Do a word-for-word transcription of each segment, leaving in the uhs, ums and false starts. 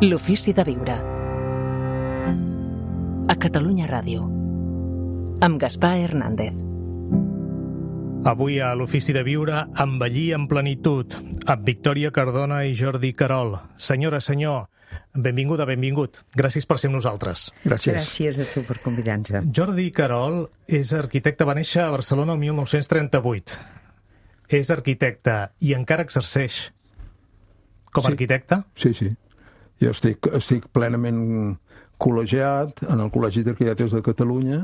L'ofici de viure. A Catalunya Ràdio. Amb Gaspar Hernández. Avui a l'Ofici de Viure, envellir en plenitud, amb Victòria Cardona i Jordi Querol. Senyora, senyor, benvinguda, benvingut. Gràcies per ser amb nosaltres. Gràcies. Gràcies a tu per convidar-nos. Jordi Querol és arquitecte, va néixer a Barcelona el mil nou-cents trenta-vuit. És arquitecte i encara exerceix com a Sí. arquitecte? Sí, sí. Jo estic, estic plenament col·legiat en el Col·legi d'Arquitectes de Catalunya.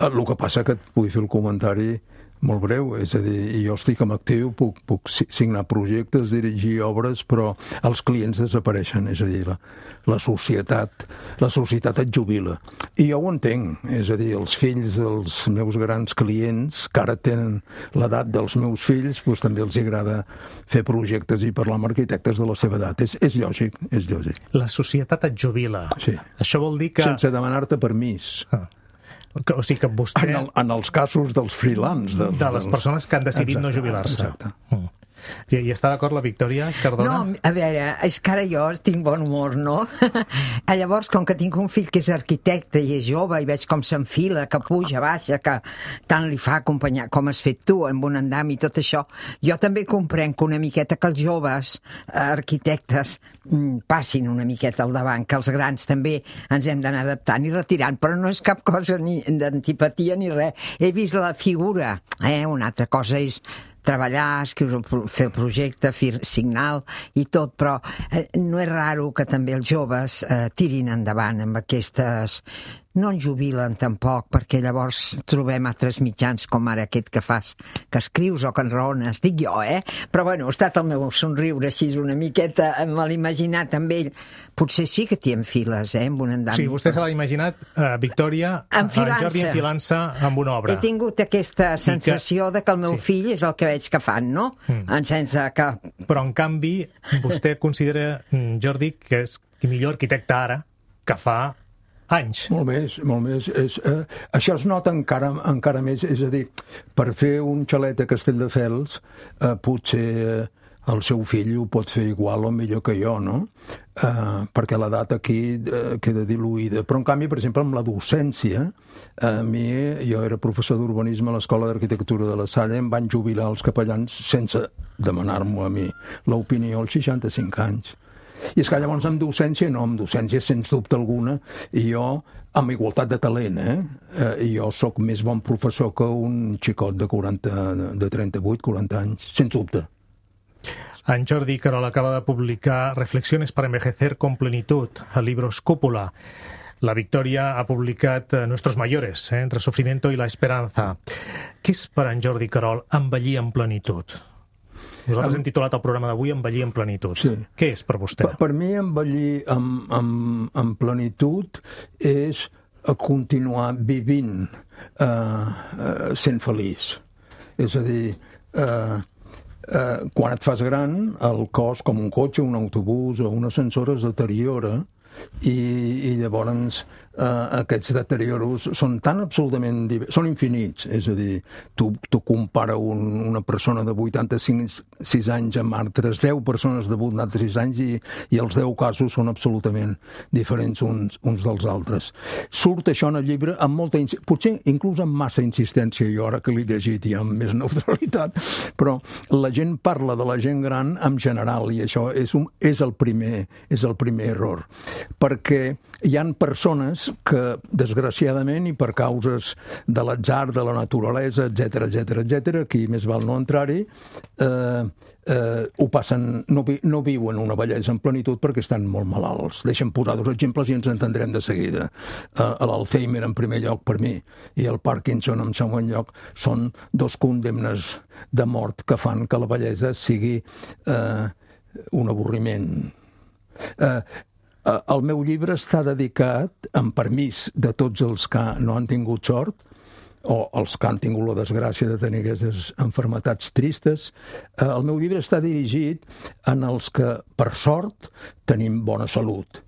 El que passa que et vull fer el comentari molt breu, és a dir, jo estic en actiu, puc, puc signar projectes, dirigir obres, però els clients desapareixen, és a dir, la, la societat la societat et jubila. I jo ho entenc, és a dir, els fills dels meus grans clients, que ara tenen l'edat dels meus fills, doncs també els agrada fer projectes i parlar amb arquitectes de la seva edat. És, és lògic, és lògic. La societat et jubila. Sí. Això vol dir que... Sense demanar-te permís. Ah. O sigui que vostè... En, el, en els casos dels freelance. Dels, de les persones que han decidit exacte, no jubilar-se. Exacte. Mm. I, I està d'acord la Victòria Cardona? No, a veure, és que ara jo tinc bon humor, no? Llavors, com que tinc un fill que és arquitecte i és jove i veig com s'enfila, que puja, baixa, que tant li fa acompanyar com has fet tu, amb un andam i tot això, jo també comprenc una miqueta que els joves eh, arquitectes mm, passin una miqueta al davant, que els grans també ens hem d'anar adaptant i retirant, però no és cap cosa ni d'antipatia ni res. He vist la figura, eh? Una altra cosa és treballar, escriure, fer el projecte, fer signal i tot, però eh, no és raro que també els joves eh, tirin endavant amb aquestes... No en jubilen tampoc, perquè llavors trobem altres mitjans com ara aquest que fas, que escrius o que enraones, dic jo, eh? Però bueno, ha estat el meu somriure així una miqueta, me l'he imaginat amb ell. Potser sí que t'hi enfiles, eh, amb un andam. Sí, vostè se l'ha imaginat, uh, Victòria, Enfilant-se. en Jordi enfilant-se amb una obra. He tingut aquesta sensació que... de que el meu sí. fill és el que veig que fan, no? Mm. En sense que... Però, en canvi, vostè considera, Jordi, que és el millor arquitecte ara que fa anys. Molt més, molt més. És, eh, això es nota encara, encara més, és a dir, per fer un xalet a Castelldefels, eh, potser eh, el seu fill ho pot fer igual o millor que jo, no? Eh, perquè l'edat aquí eh, queda diluïda. Però, en canvi, per exemple, amb la docència, a mi, jo era professor d'urbanisme a l'Escola d'Arquitectura de la Salle, em van jubilar els capellans sense demanar-m'ho a mi l'opinió als seixanta-cinc anys. I és que llavors amb docència, no, amb docència sens dubte alguna, i jo amb igualtat de talent, eh? eh I jo sóc més bon professor que un xicot de quaranta, de trenta-vuit, quaranta anys, sens dubte. En Jordi Querol acaba de publicar Reflexiones para envejecer con plenitud, al Libros Cúpula. La Victòria ha publicat Nuestros mayores, eh? Entre sufrimiento y la esperanza. Què és per en Jordi Querol envellir en plenitud? Nosaltres hem titulat el programa d'avui Envellir en plenitud. Sí. Què és per vostè? Per, per mi envellir en, en, en plenitud és continuar vivint eh, eh, sent feliç. És a dir, eh, eh, quan et fas gran, el cos, com un cotxe, un autobús o un ascensor, es deteriora i, i llavors eh, aquests deterioros són tan absolutament... són infinits, és a dir, tu, tu compara un, una persona de vuitanta-sis anys amb altres deu persones de vuitanta-sis anys i, i els deu casos són absolutament diferents uns, uns dels altres. Surt això en el llibre amb molta... potser inclús amb massa insistència, jo ara que l'he llegit i amb més neutralitat, però la gent parla de la gent gran en general i això és, un, és, el, primer, és el primer error. Perquè hi han persones que, desgraciadament, i per causes de l'atzar, de la naturalesa, etcètera, etcètera, etcètera, aquí més val no entrar-hi, eh, eh, ho passen, no, vi, no viuen una bellesa en plenitud perquè estan molt malalts. Deixa'm posar dos exemples i ens entendrem de seguida. Eh, L'Alzheimer, en primer lloc, per mi, i el Parkinson, en segon lloc, són dos condemnes de mort que fan que la bellesa sigui eh, un avorriment. Eh, El meu llibre està dedicat, amb permís de tots els que no han tingut sort, o els que han tingut la desgràcia de tenir aquestes malalties tristes. El meu llibre està dirigit en els que, per sort, tenim bona salut.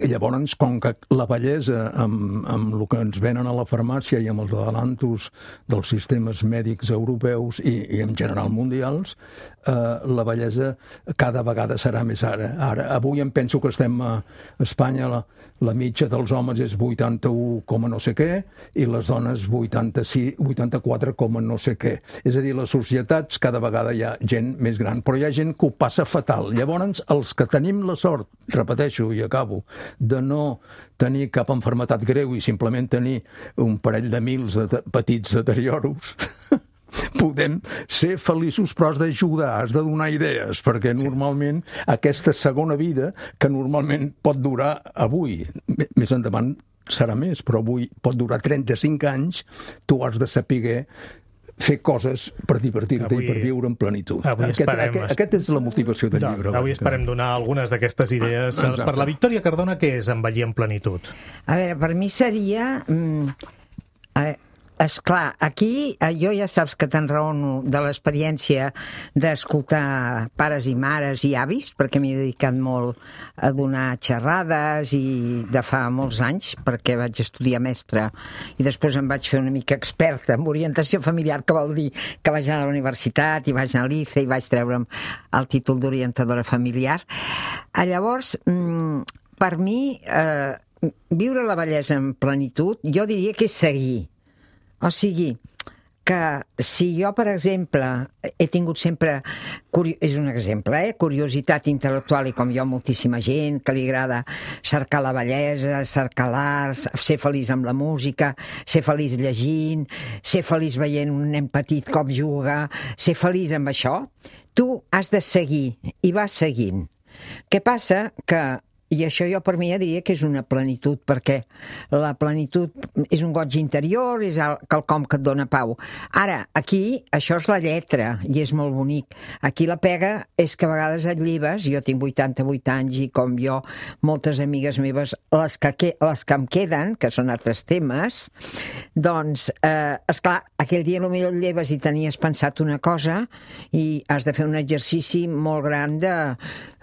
I llavors, com que la bellesa, amb, amb el que ens venen a la farmàcia i amb els adelantos dels sistemes mèdics europeus i, i en general mundials, eh, la bellesa cada vegada serà més ara. Ara, avui em penso que estem a Espanya, la, la mitja dels homes és vuitanta-u coma no sé què i les dones vuitanta-sis, vuitanta-quatre coma no sé què. És a dir, les societats cada vegada hi ha gent més gran, però hi ha gent que ho passa fatal. Llavors, els que tenim la sort, repeteixo i acabo, de no tenir cap malaltia greu i simplement tenir un parell de mils de petits deterioros, podem ser feliços, però has d'ajudar, has de donar idees, perquè normalment aquesta segona vida, que normalment pot durar avui, més endavant serà més, però avui pot durar trenta-cinc anys, tu has de saber fer coses per divertir-te avui, i per viure en plenitud. Aquest, esperem, aquest, aquest és la motivació del no, llibre. Avui esperem donar algunes d'aquestes idees. Ah, per la Victòria Cardona, què és envellir en plenitud? A veure, per mi seria... Mm, eh, esclar, aquí eh, jo ja saps que t'enraono de l'experiència d'escoltar pares i mares i avis, perquè m'he dedicat molt a donar xerrades i de fa molts anys, perquè vaig estudiar mestre i després em vaig fer una mica experta en orientació familiar, que vol dir que vaig anar a la universitat i vaig anar a l'I C E i vaig treure'm el títol d'orientadora familiar. Llavors, mm, per mi, eh, viure la bellesa en plenitud, jo diria que és seguir. O sigui, que si jo, per exemple, he tingut sempre, és un exemple, eh? curiositat intel·lectual, i com jo moltíssima gent que li agrada cercar la bellesa, cercar l'art, ser feliç amb la música, ser feliç llegint, ser feliç veient un nen petit com juga, ser feliç amb això, tu has de seguir, i vas seguint. Què passa? Que i això jo per mi ja diria que és una plenitud, perquè la plenitud és un goig interior, és quelcom que et dona pau. Ara, aquí, això és la lletra, i és molt bonic. Aquí la pega és que a vegades et lleves, jo tinc vuitanta-vuit anys, i com jo, moltes amigues meves, les que, les que em queden, que són altres temes, doncs, eh, esclar, aquell dia potser et lleves i tenies pensat una cosa, i has de fer un exercici molt gran de,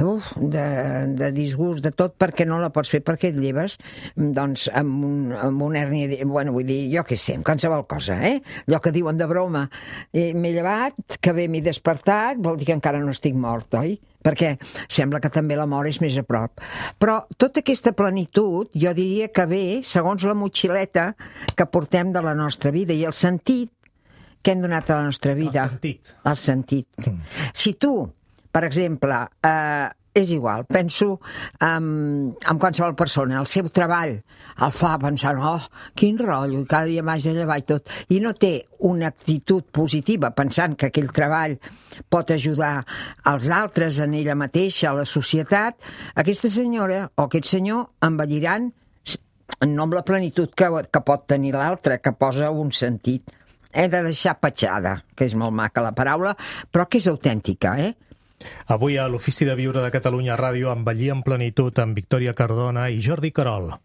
uf, de, de disgust, de tot, perquè no la pots fer, perquè et lleves doncs amb, un, amb una hèrnia, bueno, vull dir, jo què sé, amb qualsevol cosa, eh? Allò que diuen de broma, eh, m'he llevat, que bé m'he despertat, vol dir que encara no estic mort, oi? Perquè sembla que també la mort és més a prop. Però tota aquesta plenitud, jo diria que ve segons la motxileta que portem de la nostra vida i el sentit que hem donat a la nostra vida. El sentit. El sentit. Mm. Si tu, per exemple, eh, és igual, penso en, en qualsevol persona, el seu treball el fa pensant, oh, quin rotllo, i cada dia m'haig de llevar i tot, i no té una actitud positiva pensant que aquell treball pot ajudar als altres, en ella mateixa, a la societat, aquesta senyora o aquest senyor envelliran no amb la plenitud que, que pot tenir l'altre, que posa un sentit. He de deixar petjada, que és molt maca la paraula, però que és autèntica, eh? Avui a l'Ofici de Viure de Catalunya Ràdio, envellir en plenitud amb Victòria Cardona i Jordi Querol.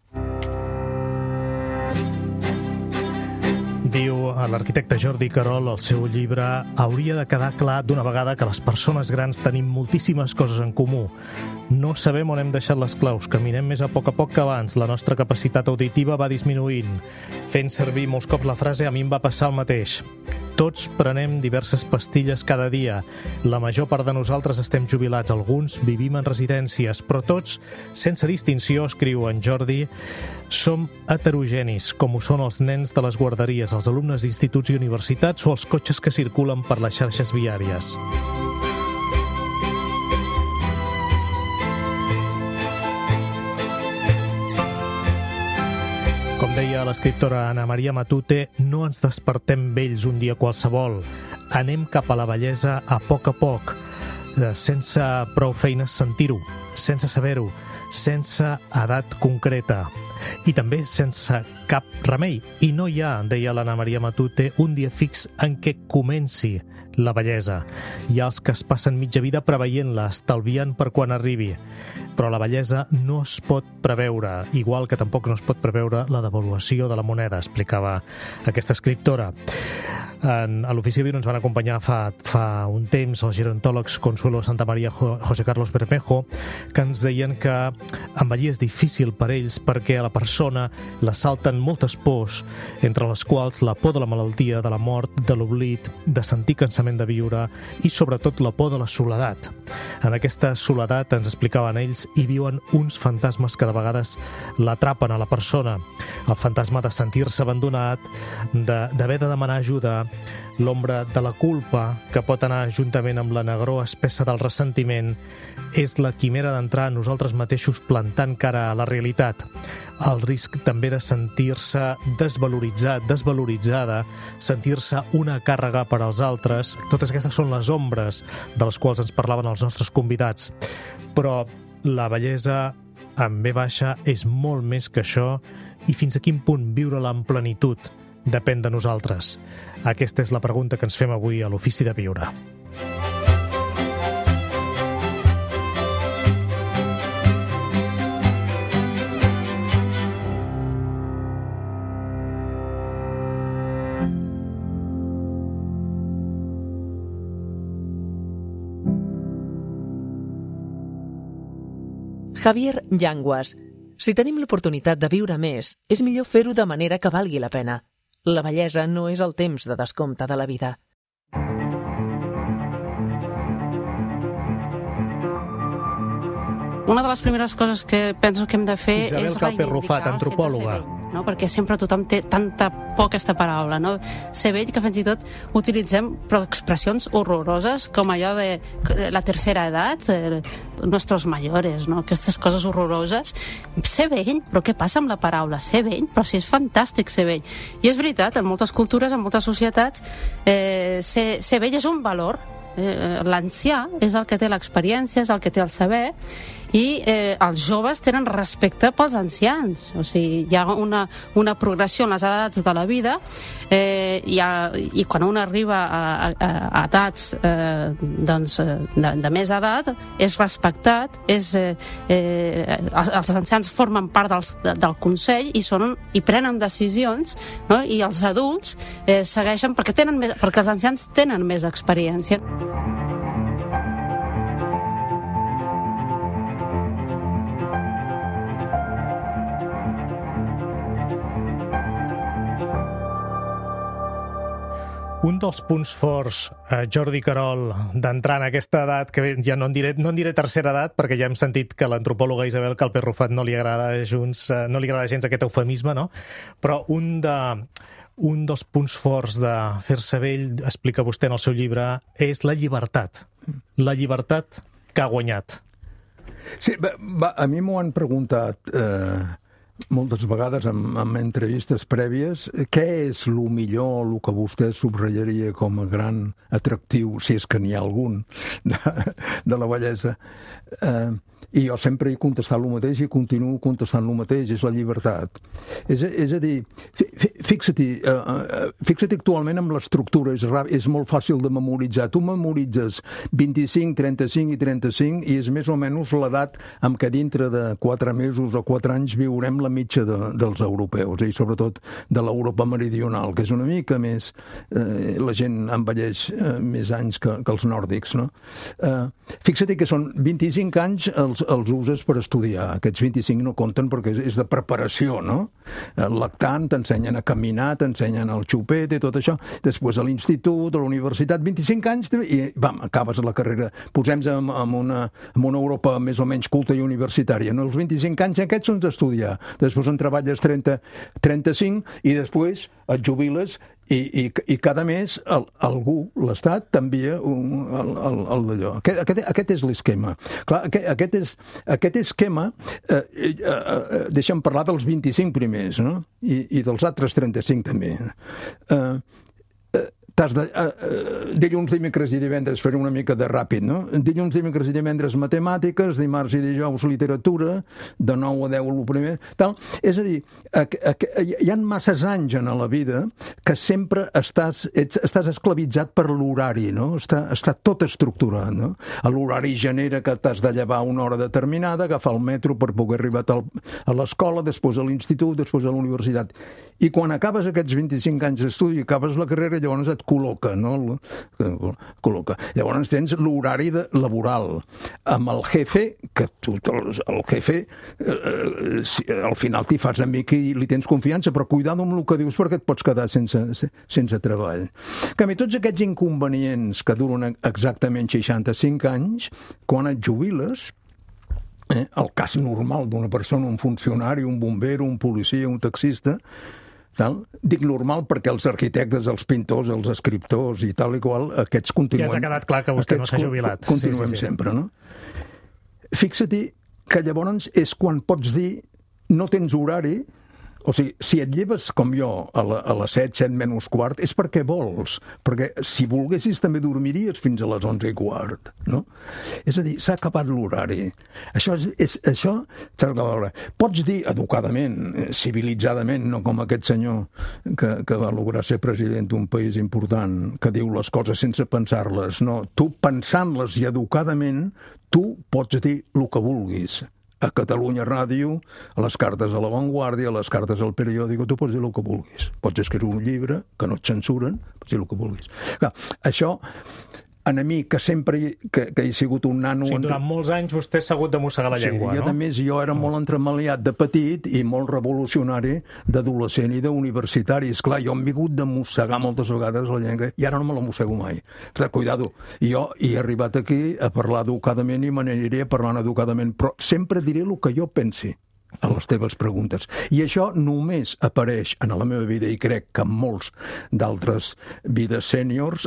Diu l'arquitecte Jordi Querol al seu llibre: hauria de quedar clar d'una vegada que les persones grans tenim moltíssimes coses en comú. No sabem on hem deixat les claus, caminem més a poc a poc que abans, la nostra capacitat auditiva va disminuint. Fent servir molts cops la frase, a mi em va passar el mateix. Tots prenem diverses pastilles cada dia. La major part de nosaltres estem jubilats, alguns vivim en residències, però tots, sense distinció, escriu en Jordi, som heterogenis, com ho són els nens de les guarderies, els alumnes d'instituts i universitats o els cotxes que circulen per les xarxes viàries. Com deia l'escriptora Ana Maria Matute, no ens despertem vells un dia qualsevol. Anem cap a la bellesa a poc a poc, sense prou feines sentir-ho, sense saber-ho, sense edat concreta i també sense cap remei. I no hi ha, deia l'Anna Maria Matute, un dia fix en què comenci la bellesa. Hi ha els que es passen mitja vida preveient-la, estalviant per quan arribi. Però la bellesa no es pot preveure, igual que tampoc no es pot preveure la devaluació de la moneda, explicava aquesta escriptora. En, a l'Ofici de Viure ens van acompanyar fa, fa un temps els gerontòlegs Consuelo Santamaría, José Carlos Bermejo, que ens deien que envellir és difícil per ells perquè a la persona l'assalten moltes pors, entre les quals la por de la malaltia, de la mort, de l'oblit, de sentir cansament de viure i sobretot la por de la soledat. En aquesta soledat, ens explicaven ells, hi viuen uns fantasmes que de vegades l'atrapen a la persona. El fantasma de sentir-se abandonat, d'haver de, de demanar ajuda, l'ombra de la culpa, que pot anar juntament amb la negror espessa del ressentiment, és la quimera d'entrar a nosaltres mateixos plantant cara a la realitat. El risc també de sentir-se desvaloritzat, desvaloritzada, sentir-se una càrrega per als altres. Totes aquestes són les ombres de les quals ens parlaven els nostres convidats. Però la bellesa amb B baixa és molt més que això i fins a quin punt viure-la en plenitud depèn de nosaltres. Aquesta és la pregunta que ens fem avui a l'Ofici de Viure. Javier Llanguas. Si tenim l'oportunitat de viure més, és millor fer-ho de manera que valgui la pena. La bellesa no és el temps de descompte de la vida. Una de les primeres coses que penso que hem de fer Isabel és Calpe Rufat, reivindicar antropòloga. el fet de ser vell, no? Perquè sempre tothom té tanta por aquesta paraula, no? Ser vell, que fins i tot utilitzem però expressions horroroses com allò de la tercera edat, eh, nuestros mayores, no? Aquestes coses horroroses. Ser vell, però què passa amb la paraula? Ser vell, però si és fantàstic ser vell. I és veritat, en moltes cultures, en moltes societats, eh, ser, ser vell és un valor. Eh, l'ancià és el que té l'experiència, és el que té el saber, i eh, els joves tenen respecte pels ancians. O sigui, hi ha una, una progressió en les edats de la vida, eh, i, ha, i quan un arriba a, a, a edats eh, doncs, de, de més edat, és respectat, és, eh, eh, els, els ancians formen part dels, del Consell i, són, i prenen decisions, no? I els adults eh, segueixen perquè, tenen més, perquè els ancians tenen més experiència. Un dels punts forts, eh, Jordi Querol, d'entrar en aquesta edat, que ja no en diré, no en diré tercera edat, perquè ja hem sentit que l'antropòloga Isabel Calpe Rufat no li agrada junts, eh, no li agrada gens aquest eufemisme, no? Però un, de, un dels punts forts de fer-se vell, explica vostè en el seu llibre, és la llibertat. La llibertat que ha guanyat. Sí, va, va, a mi m'ho han preguntat eh, moltes vegades en, en entrevistes prèvies, què és el millor, el que vostè subratllaria com a gran atractiu, si és que n'hi ha algun, de, de la bellesa. Eh, I jo sempre he contestat el mateix i continuo contestant el mateix, és la llibertat. És, és a dir, fixa-t'hi, uh, fixa-t'hi actualment amb l'estructura, és, és molt fàcil de memoritzar. Tu memoritzes vint-i-cinc, trenta-cinc i trenta-cinc i és més o menys l'edat amb què dintre de quatre mesos o quatre anys viurem la mitja de, dels europeus, i sobretot de l'Europa meridional, que és una mica més... Eh, la gent envelleix eh, més anys que, que els nòrdics, no? Eh, fixa-t'hi que són vint-i-cinc anys els els uses per estudiar. Aquests vint-i-cinc no compten perquè és de preparació, no? El lactant, t'ensenyen a caminar, t'ensenyen el xupet i tot això. Després a l'institut, a la universitat, vint-i-cinc anys i vam, acabes la carrera. Posem-nos en, en, una, en una Europa més o menys culta i universitària. No? Els vint-i-cinc anys aquests són d'estudiar. Després en treballes trenta, trenta-cinc i després et jubiles i, i, i cada mes el, algú, l'Estat, t'envia un, el, el, el d'allò. Aquest, aquest, aquest és l'esquema. Clar, aquest, aquest, és, aquest esquema, eh, eh, eh, deixa'm parlar dels vint-i-cinc primers, no? I, i dels altres trenta-cinc també. Eh, eh, t'has de... Uh, uh, dilluns, dimecres i divendres faré una mica de ràpid, no? Dilluns, dimecres i divendres matemàtiques, dimarts i dijous literatura, de nou a deu el primer, tal. És a dir, a, a, a, hi ha masses anys en la vida que sempre estàs, ets, estàs esclavitzat per l'horari, no? Està, està tot estructurat, no? L'horari genera que t'has de llevar una hora determinada, agafar el metro per poder arribar a l'escola, després a l'institut, després a la universitat. I quan acabes aquests vint-i-cinc anys d'estudi, acabes la carrera, llavors et col·loca, no? Col·loca. Llavors tens l'horari laboral amb el jefe, que tu, el jefe, eh, si, al final t'hi fas amic i li tens confiança, però cuidado amb el que dius perquè et pots quedar sense, sense treball. En canvi, tots aquests inconvenients que duren exactament seixanta-cinc anys, quan et jubiles, eh, el cas normal d'una persona, un funcionari, un bomber, un policia, un taxista, tal. Dic normal perquè els arquitectes, els pintors, els escriptors i tal i qual, aquests continuem... Ja ens ha quedat clar que vostè no s'ha jubilat. Continuem sí, sí, sí. sempre, no? Fixa-t'hi que llavors és quan pots dir no tens horari, o sigui, si et lleves com jo a, la, a les set, set menys quart, és perquè vols, perquè si volguessis també dormiries fins a les onze i quart, no? És a dir, s'ha acabat l'horari. Això és, és això s'ha acabat l'horari. Pots dir educadament, civilitzadament, no com aquest senyor que, que va lograr ser president d'un país important, que diu les coses sense pensar-les, no? Tu, pensant-les i educadament, tu pots dir el que vulguis. A Catalunya Ràdio, a les cartes a La Vanguardia, a les cartes al periòdico, tu pots dir el que vulguis. Pots escriure un llibre, que no et censuren, pots dir el que vulguis. Clar, això, a mi, que sempre que, que he sigut un nano... O sigui, durant molts anys vostè s'ha hagut de mossegar la llengua, sí, no? Sí, a més, jo era molt entremaliat de petit i molt revolucionari d'adolescent i d'universitari. Esclar, jo m'he hagut de mossegar moltes vegades la llengua i ara no me la mossego mai. Esclar, cuidado, jo he arribat aquí a parlar educadament i me n'aniré parlant educadament, però sempre diré el que jo pensi a les teves preguntes. I això només apareix en la meva vida, i crec que en molts d'altres vides sèniors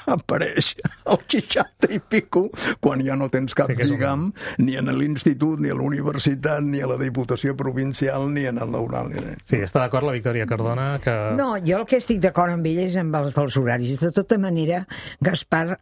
apareix als seixanta i pico, quan ja no tens cap sí lligam, un... ni en l'institut, ni a la universitat, ni a la Diputació Provincial, ni en el Laural. Sí, està d'acord la Victòria Cardona? Que... No, jo el que estic d'acord amb ell és amb els dels horaris. De tota manera, Gaspar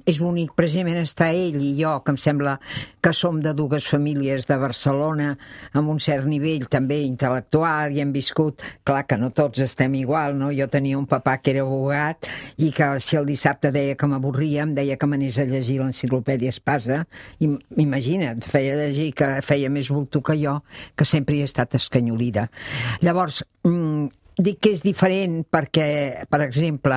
és bonic, precisament està ell i jo, que em sembla que som de dues famílies de Barcelona, amb un cert nivell també intel·lectual i hem viscut, clar que no tots estem igual, no? Jo tenia un papà que era abogat i que si el dissabte deia que m'avorria, em deia que m'anés a llegir l'enciclopèdia Espasa, i imagina't, feia llegir que feia més bulto que jo, que sempre hi he estat escanyolida. Llavors, mmm, dic que és diferent perquè, per exemple,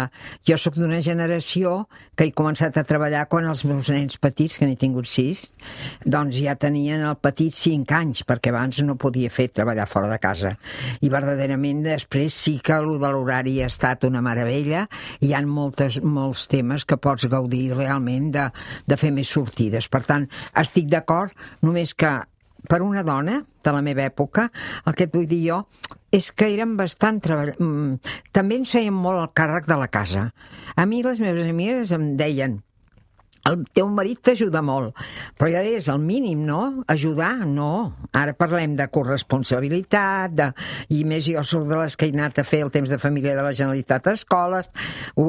jo sóc d'una generació que he començat a treballar quan els meus nens petits, que n'he tingut sis, doncs ja tenien el petit cinc anys, perquè abans no podia fer treballar fora de casa. I verdaderament després sí que el de l'horari ha estat una meravella, i hi ha moltes, molts temes que pots gaudir realment de, de fer més sortides. Per tant, estic d'acord, només que per una dona de la meva època, el que et vull dir jo és que érem bastant treball... També ens feien molt el càrrec de la casa. A mi les meves amigues em deien: el teu marit t'ajuda molt, però ja és el mínim, no? Ajudar, no. Ara parlem de corresponsabilitat, de... i més jo soc de les que he anat a fer el temps de família de la Generalitat a escoles,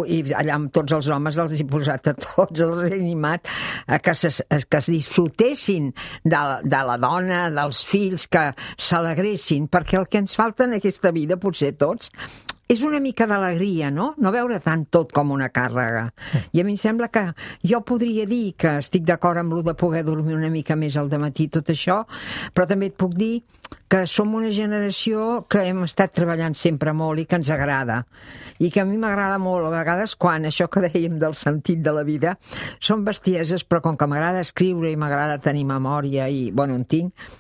i allà amb tots els homes els he posat a tots, els he animat a que, se, que es disfrutessin de, de la dona, dels fills, que s'alegressin, perquè el que ens falta en aquesta vida, potser tots, és una mica d'alegria, no? No veure tant tot com una càrrega. I a mi em sembla que jo podria dir que estic d'acord amb lo de poder dormir una mica més al dematí, tot això, però també et puc dir que som una generació que hem estat treballant sempre molt i que ens agrada. I que a mi m'agrada molt, a vegades, quan això que dèiem del sentit de la vida, són bestieses, però com que m'agrada escriure i m'agrada tenir memòria i, bueno, en tinc,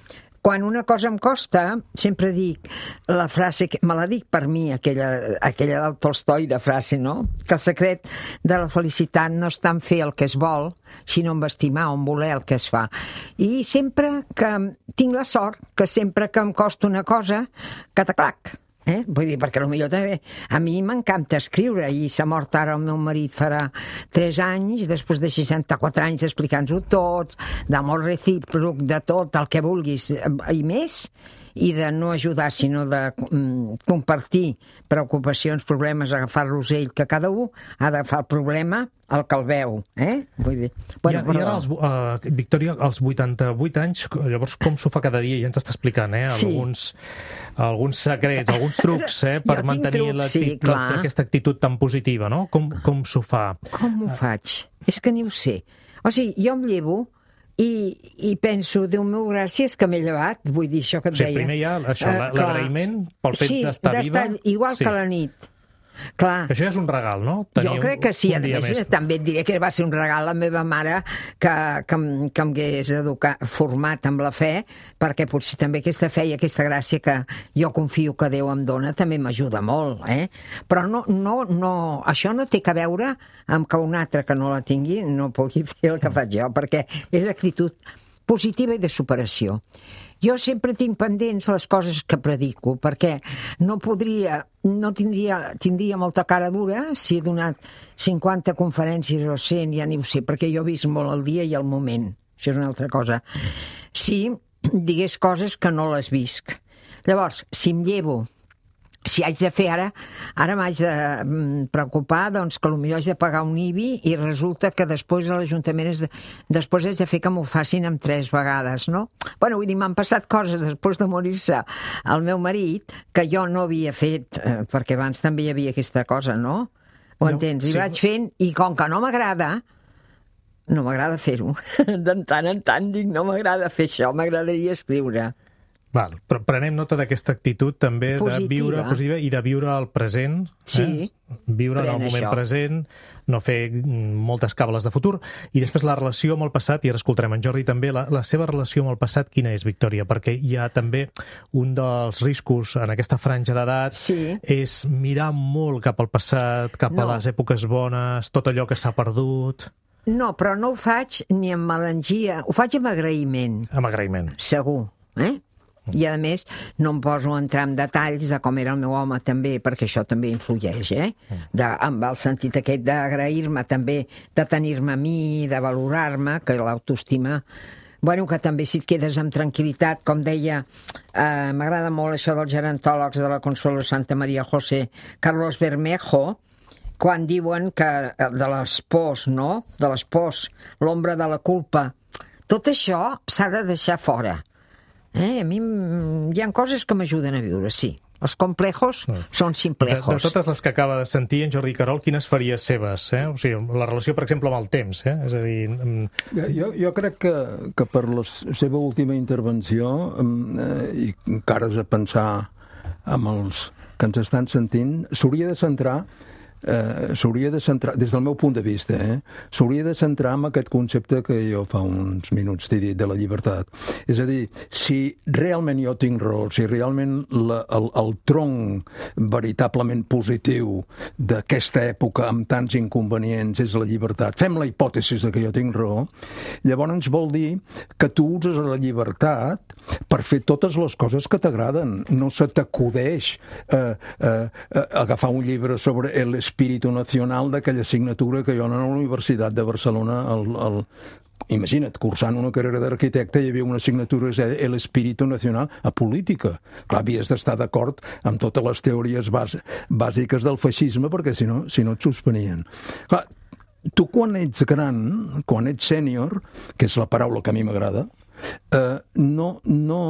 quan una cosa em costa, sempre dic la frase, que me la dic per mi, aquella, aquella del Tolstoi de frase, no? Que el secret de la felicitat no està en fer el que es vol, sinó en estimar o en voler el que es fa. I sempre que tinc la sort, que sempre que em costa una cosa, cataclac. Eh? Vull dir, perquè potser també a mi m'encanta escriure, i s'ha mort ara el meu marit farà tres anys, després de seixanta-quatre anys explicant-ho tot, d'amor recíproc, de tot el que vulguis i més, i de no ajudar, sinó de mm, compartir preocupacions, problemes, agafar-los ell, que cada un ha d'agafar el problema el que el veu, eh? Vull dir... Bueno, I, i ara, els, uh, Victòria, als vuitanta-vuit anys, llavors com s'ho fa cada dia? Ja ens està explicant, eh? Sí. Alguns, alguns secrets, alguns trucs, eh? Per mantenir trucs, l'acti- sí, clar. aquesta actitud tan positiva, no? Com, com s'ho fa? Com ho faig? És que ni ho sé. O sigui, jo em llevo i, i penso, Déu meu, gràcies que m'he llevat, vull dir això que et O sigui, deia. primer hi ha això, Eh, clar. l'agraïment pel fet Sí, d'estar viva. igual Sí. que la nit. Clar. Això ja és un regal, no? Jo crec que sí, a més, també et diré que va ser un regal a la meva mare que, que, em- que em hagués educat, format amb la fe, perquè potser també aquesta fe i aquesta gràcia que jo confio que Déu em dona també m'ajuda molt, eh? Però no, no, no, això no té que veure amb que un altre que no la tingui no pugui fer el que faig jo, perquè és actitud positiva i de superació. Jo sempre tinc pendents les coses que predico, perquè no podria, no tindria, tindria molta cara dura si he donat cinquanta conferències o cent, ja ni ho sé, perquè jo he vist molt el dia i el moment. Això és una altra cosa. Si digués coses que no les visc. Llavors, si em llevo, si haig de fer ara, ara m'haig de mm, preocupar doncs, que potser haig de pagar un I B I i resulta que després a l'Ajuntament és de, després haig de fer que m'ho facin amb tres vegades, no? Bueno, vull dir, m'han passat coses després de morir-se el meu marit que jo no havia fet, eh, perquè abans també hi havia aquesta cosa, no? Ho No, entens? I sí. vaig fent, i com que no m'agrada, no m'agrada fer-ho. De tant en tant dic, no m'agrada fer això, m'agradaria escriure. Val, però prenem nota d'aquesta actitud també Positiva. de viure positiva i de viure el present. Sí. Eh? Viure en el Pren moment això. present, no fer mm, moltes cables de futur. I després la relació amb el passat, i ara escoltarem en Jordi també, la, la seva relació amb el passat, quina és, Victòria? Perquè hi ha també un dels riscos en aquesta franja d'edat Sí. és mirar molt cap al passat, cap No. a les èpoques bones, tot allò que s'ha perdut, No, però no ho faig ni amb melangia, ho faig amb agraïment, amb agraïment. segur, eh? I a més no em poso a entrar en detalls de com era el meu home també, perquè això també influeix, eh? De, amb el sentit aquest d'agrair-me també, de tenir-me a mi, de valorar-me, que l'autoestima... Bueno, que també si et quedes amb tranquil·litat, com deia, eh, m'agrada molt això dels gerontòlegs de la Consuelo Santa Maria José Carlos Bermejo, quan diuen que eh, de les pors, no? De les pors, l'ombra de la culpa, tot això s'ha de deixar fora. Eh? A mi mm, hi ha coses que m'ajuden a viure, sí. Els complejos són De, simplejos. de totes les que acaba de sentir en Jordi Querol, quines faries seves? Eh? O sigui, la relació, per exemple, amb el temps. Eh? És a dir... mm, Jo, jo crec que, que per la seva última intervenció, mm, eh, i encara has de pensar amb els que ens estan sentint, s'hauria de centrar eh, s'hauria de centrar, des del meu punt de vista, eh, s'hauria de centrar en aquest concepte que jo fa uns minuts t'he dit, de la llibertat. És a dir, si realment jo tinc raó, si realment la, el, el tronc veritablement positiu d'aquesta època amb tants inconvenients és la llibertat, fem la hipòtesi de que jo tinc raó, llavors vol dir que tu uses la llibertat per fer totes les coses que t'agraden. No se t'acudeix eh, eh, eh, agafar un llibre sobre el espíritu nacional d'aquella assignatura que jo a la Universitat de Barcelona, el, el, imagina't, cursant una carrera d'arquitecte, hi havia una assignatura que es deia el espíritu nacional a política. Clar, havies d'estar d'acord amb totes les teories bàs bàsiques del feixisme, perquè si no, si no et suspenien. Clar, tu quan ets gran, quan ets sènior, que és la paraula que a mi m'agrada, eh, no... no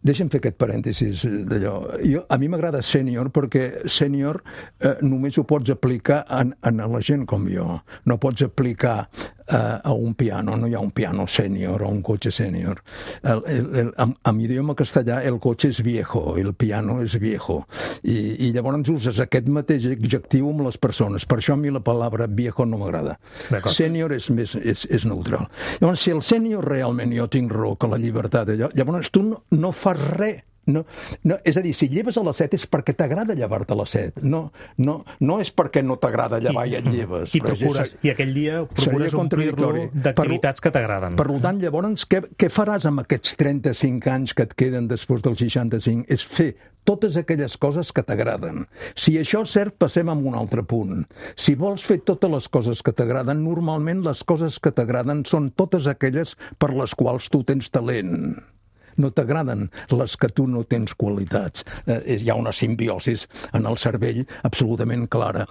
Deixa'm fer aquest parèntesis d'allò. Jo, a mi m'agrada sènior perquè sènior eh, només ho pots aplicar en, en la gent com jo. No pots aplicar eh, a un piano. No hi ha un piano sènior o un cotxe sènior. El, el, el, en, en idioma castellà el cotxe és viejo, el piano és viejo. I, i llavors uses aquest mateix adjectiu amb les persones. Per això a mi la paraula viejo no m'agrada. Sènior és, més, és, és neutral. Llavors, si el sènior realment jo tinc raó que la llibertat, allò, llavors tu no, no fas res. No, no, és a dir, si lleves a les set és perquè t'agrada llevar-te a les set. No, no, no és perquè no t'agrada llevar i, i et lleves. I, procures, I aquell dia procures omplir-lo d'activitats que t'agraden. Per tant, llavors, què, què faràs amb aquests trenta-cinc anys que et queden després dels seixanta-cinc? És fer totes aquelles coses que t'agraden. Si això és cert, passem a un altre punt. Si vols fer totes les coses que t'agraden, normalment les coses que t'agraden són totes aquelles per les quals tu tens talent. no t'agraden les que tu no tens qualitats. Eh, hi ha una simbiosis en el cervell absolutament clara.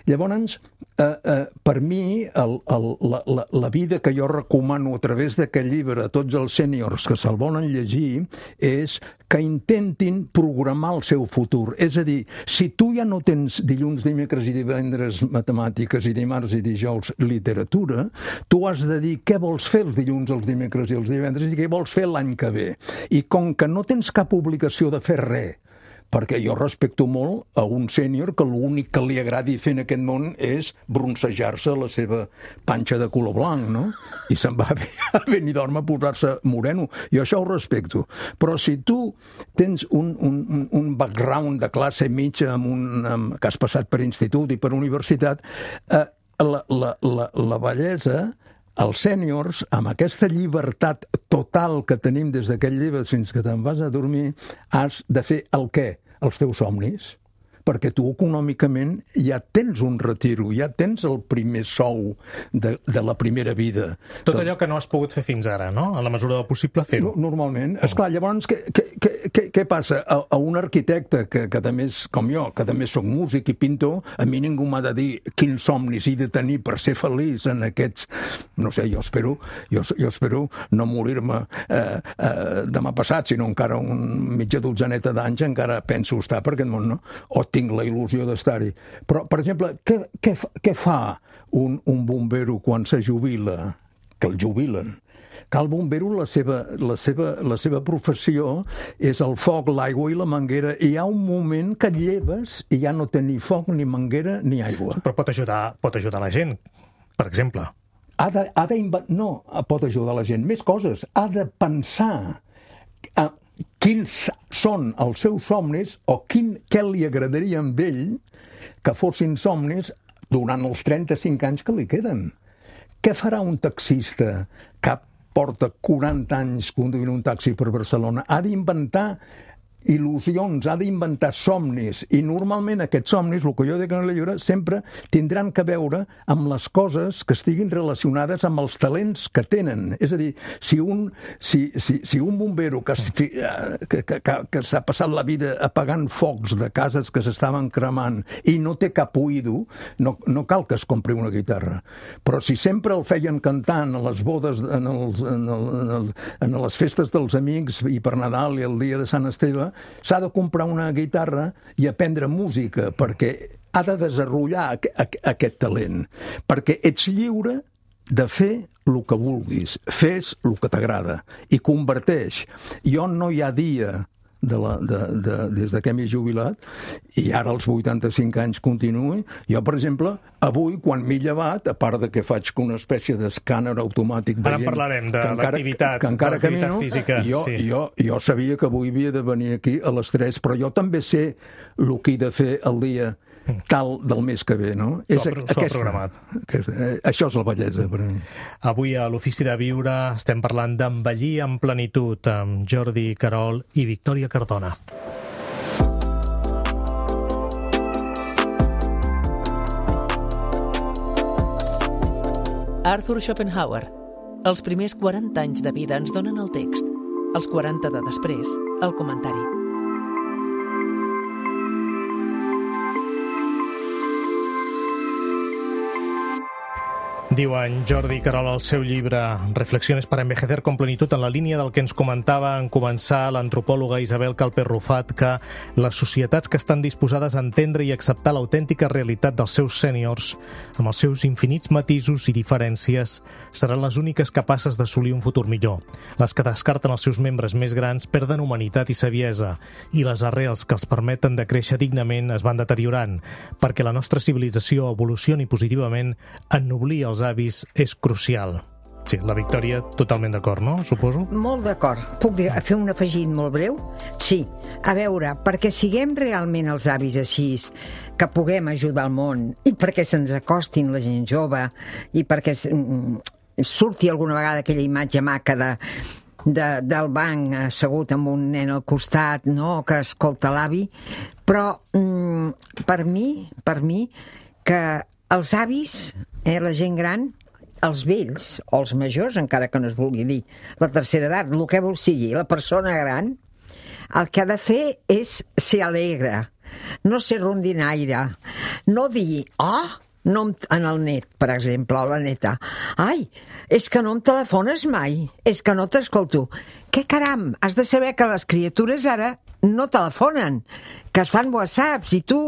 Llavors, eh, eh, per mi, el, el, la, la, la vida que jo recomano a través d'aquest llibre a tots els sèniors que se'l volen llegir és que intentin programar el seu futur. És a dir, si tu ja no tens dilluns, dimecres i divendres matemàtiques i dimarts i dijous literatura, tu has de dir què vols fer els dilluns, els dimecres i els divendres i què vols fer l'any que ve. I com que no tens cap obligació de fer res, perquè jo respecto molt a un sènior que l'únic que li agradi fer en aquest món és broncejar-se la seva panxa de color blanc, no? I se'n va a Benidorm a posar-se moreno. Jo això ho respecto. Però si tu tens un, un, un background de classe mitja amb un, amb, que has passat per institut i per universitat, eh, la, la, la, la bellesa, els sèniors, amb aquesta llibertat total que tenim des d'aquest llibre fins que te'n vas a dormir, has de fer el què? Els teus somnis. Perquè tu econòmicament ja tens un retiro, ja tens el primer sou de, de la primera vida. Tot allò que no has pogut fer fins ara, no? A la mesura del possible fer-ho. Normalment. Esclar, llavors, què, què, què, què passa? A, a un arquitecte que, que també és com jo, que també soc músic i pintor, a mi ningú m'ha de dir quins somnis he de tenir per ser feliç en aquests... No sé, jo espero, jo, jo espero no morir-me eh, eh, demà passat, sinó encara un mitja dotzaneta d'anys encara penso estar per aquest món, no? O tinc la il·lusió d'estar-hi. Però, per exemple, què, què, què fa un, un bombero quan se jubila? Que el jubilen. Que el bombero, la seva, la, seva, la seva professió és el foc, l'aigua i la manguera. I hi ha un moment que et lleves i ja no té ni foc, ni manguera, ni aigua. Però pot ajudar, pot ajudar la gent, per exemple. Ha de, ha de inv... No, pot ajudar la gent. Més coses. Ha de pensar... A, quins són els seus somnis o quin, què li agradaria a ell que fossin somnis durant els trenta-cinc anys que li queden. Què farà un taxista que porta quaranta anys conduint un taxi per Barcelona? Ha d'inventar il·lusions, ha d'inventar somnis, i normalment aquests somnis, el que jo dic en el llibre, sempre tindran que veure amb les coses que estiguin relacionades amb els talents que tenen. És a dir, si un, si, si, si un bombero que, que, que, que s'ha passat la vida apagant focs de cases que s'estaven cremant i no té cap oïdo, no, no cal que es compri una guitarra. Però si sempre el feien cantant a les bodes, en, els, en, el, en, el, en les festes dels amics i per Nadal i el dia de Sant Esteve, s'ha de comprar una guitarra i aprendre música, perquè ha de desenvolupar aquest talent, perquè ets lliure de fer el que vulguis, fes el que t'agrada i converteix. Jo no hi ha dia de la, de, de, des de que m'he jubilat i ara als vuitanta-cinc anys continuo. Jo, per exemple, avui, quan m'he llevat, a part de que faig una espècie d'escàner automàtic ara en parlarem de l'activitat física. Jo, sí. jo, jo sabia que avui havia de venir aquí a les tres, però jo també sé el que he de fer el dia tal del mes que ve, no? S'ho ha, aquesta, programat. Aquesta, eh, això és la bellesa per a mi. Avui a l'Ofici de Viure estem parlant d'envellir en plenitud amb Jordi Querol i Victòria Cardona. Arthur Schopenhauer. Els primers quaranta anys de vida ens donen el text. Els quaranta de després, el comentari. Diu en Jordi Querol al seu llibre Reflexiones para envejecer con plenitud, en la línia del que ens comentava en començar l'antropòloga Isabel Calper Rufat, que les societats que estan disposades a entendre i acceptar l'autèntica realitat dels seus sèniors, amb els seus infinits matisos i diferències, seran les úniques capaces d'assolir un futur millor. Les que descarten els seus membres més grans perden humanitat i saviesa, i les arrels que els permeten de créixer dignament es van deteriorant, perquè la nostra civilització evolucioni positivament, ennoblir els avis és crucial. Sí, la Victòria totalment d'acord, no? Suposo? Molt d'acord. Puc dir, fer un afegit molt breu? Sí. A veure, perquè siguem realment els avis així, que puguem ajudar el món, i perquè se'ns acostin la gent jove, i perquè surti alguna vegada aquella imatge maca de, de, del banc assegut amb un nen al costat, no?, que escolta l'avi. Però mm, per mi, per mi, que els avis, eh, la gent gran, els vells, o els majors, encara que no es vulgui dir, la tercera edat, el que vol sigui, la persona gran, el que ha de fer és ser alegre, no ser rondinaire, no dir, ah, no em, en el net, per exemple, o la neta, ai, és que no em telefones mai, és que no t'escolto. Què caram, has de saber que les criatures ara no telefonen, que es fan whatsapps, i tu,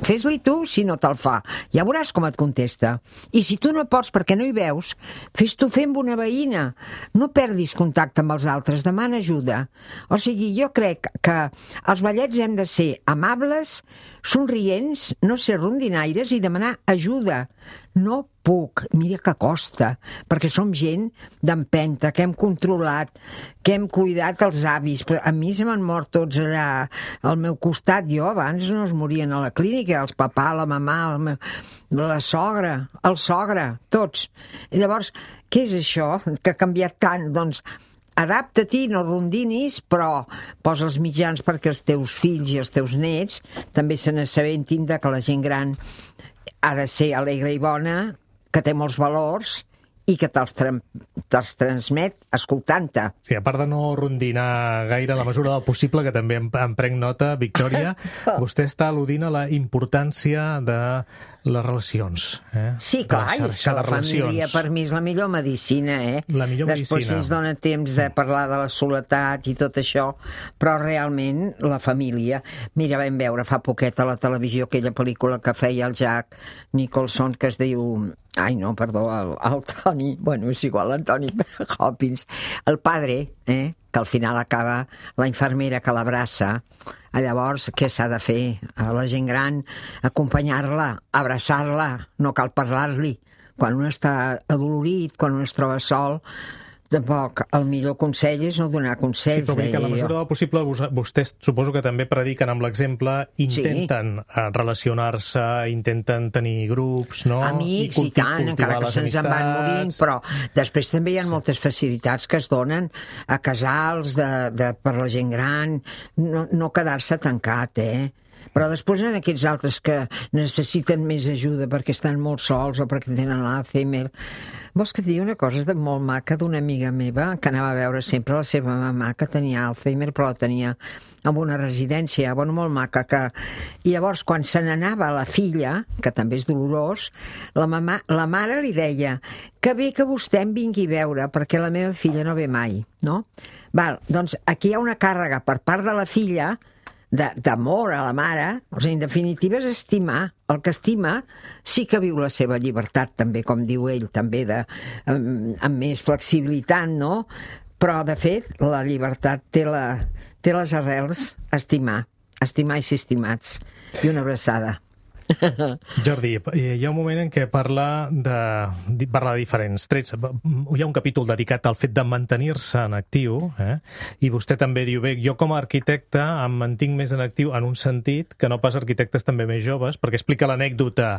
fes-li tu si no te'l fa. Ja veuràs com et contesta. I si tu no pots perquè no hi veus, fes-t'ho fer amb una veïna. No perdis contacte amb els altres, demana ajuda. O sigui, jo crec que els vellets hem de ser amables, somrients, no ser rondinaires i demanar ajuda. No puc, mira que costa, perquè som gent d'empenta, que hem controlat, que hem cuidat els avis. Però a mi se m'han mort tots allà al meu costat. Jo abans no es morien a la clínica, els papà, la mamà, el meu, la sogra, el sogre, tots. I llavors, què és això que ha canviat tant? Doncs adapta-t'hi, no rondinis, però posa els mitjans perquè els teus fills i els teus nets també se n'assabentin de que la gent gran ha de ser alegre i bona, que té molts valors i que te'ls, tra te'ls transmet escoltant-te. Sí, a part de no rondinar gaire en la mesura del possible, que també em, em prenc nota, Victòria, vostè està al·ludint a la importància de les relacions. Eh? Sí, clar, de la és que la família per mi és la millor medicina, eh? La millor Després medicina. ens dona temps de parlar de la soledat i tot això, però realment la família... Mira, vam veure fa poquet a la televisió aquella pel·lícula que feia el Jack Nicholson, que es diu... Ai, no, perdó, el, el Toni... Bueno, és igual, l'Antoni Hopkins. El padre, eh, que al final acaba la infermera que l'abraça. Llavors, què s'ha de fer? A la gent gran, acompanyar-la, abraçar-la, no cal parlar-li. Quan un està adolorit, quan un es troba sol, tampoc el millor consell és no donar consells. Sí, però vull dir que en la mesura del possible vostès suposo que també prediquen amb l'exemple, intenten sí. relacionar-se, intenten tenir grups, no? Amics i, i tant, encara que se'ns en van morint, però després també hi ha sí. moltes facilitats que es donen a casals de, de, per la gent gran, no, no quedar-se tancat, eh? Però després en aquests altres que necessiten més ajuda perquè estan molt sols o perquè tenen l'Alzheimer. Vols que et digui una cosa de molt maca d'una amiga meva que anava a veure sempre la seva mamà que tenia Alzheimer, però la tenia en una residència, bueno, molt maca, que... I llavors, quan se n'anava la filla, que també és dolorós, la, mamà, la mare li deia que bé que vostè em vingui a veure perquè la meva filla no ve mai, no? Val, doncs aquí hi ha una càrrega per part de la filla d'amor a la mare, o sigui, en definitiva és estimar. El que estima sí que viu la seva llibertat, també, com diu ell, també de, amb, amb més flexibilitat, no? Però, de fet, la llibertat té, la, té les arrels estimar, estimar i ser estimats. I una abraçada. Jordi, hi ha un moment en què parla de, parla de diferents trets. Hi ha un capítol dedicat al fet de mantenir-se en actiu, eh? I vostè també diu, bé, jo com a arquitecte em mantinc més en actiu en un sentit que no pas arquitectes també més joves, perquè explica l'anècdota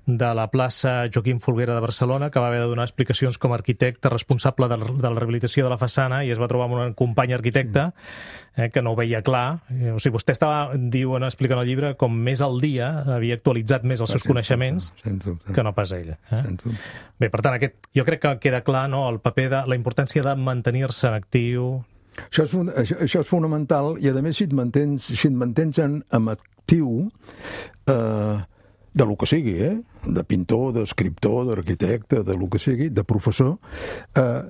de la plaça Joaquim Folguera de Barcelona, que va haver de donar explicacions com a arquitecte responsable de la rehabilitació de la façana i es va trobar amb un company arquitecte eh, que no ho veia clar. O sigui, vostè estava, diuen, explicant el llibre, com més al dia, havia actualitzat més els seus sense coneixements dubte, que no pas ella. Eh? Bé, per tant, aquest, jo crec que queda clar, no?, el paper de la importància de mantenir-se en actiu. Això és, això, això és fonamental, i a més si et mantens, si et mantens en, en actiu eh, de lo que sigui, eh? De pintor, d'escriptor, d'arquitecte, de lo que sigui, de professor, eh,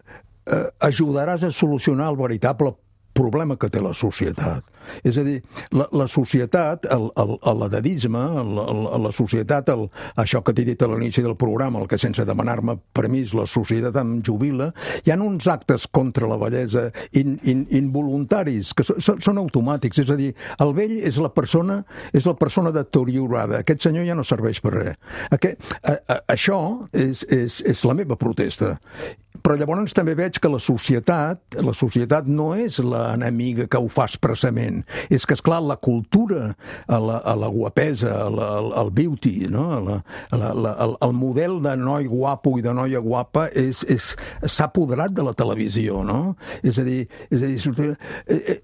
eh, ajudaràs a solucionar el veritable problema que té la societat. És a dir, la, la societat, l'edadisme, la, la societat, el, això que t'he dit a l'inici del programa, el que sense demanar-me permís la societat em jubila, hi ha uns actes contra la vellesa in, in, involuntaris, que so, són automàtics. És a dir, el vell és la persona és la persona deteriorada. Aquest senyor ja no serveix per res. Aquest, a, a, això és, és, és la meva protesta. Però llavors també veig que la societat, la societat no és l'enemiga que ho fa expressament. És que, esclar, la cultura, a la, a la guapesa, a la, al beauty, no? a la, a la, la, el, el model de noi guapo i de noia guapa és, és, s'ha apoderat de la televisió, no? És a dir, és a dir eh, eh,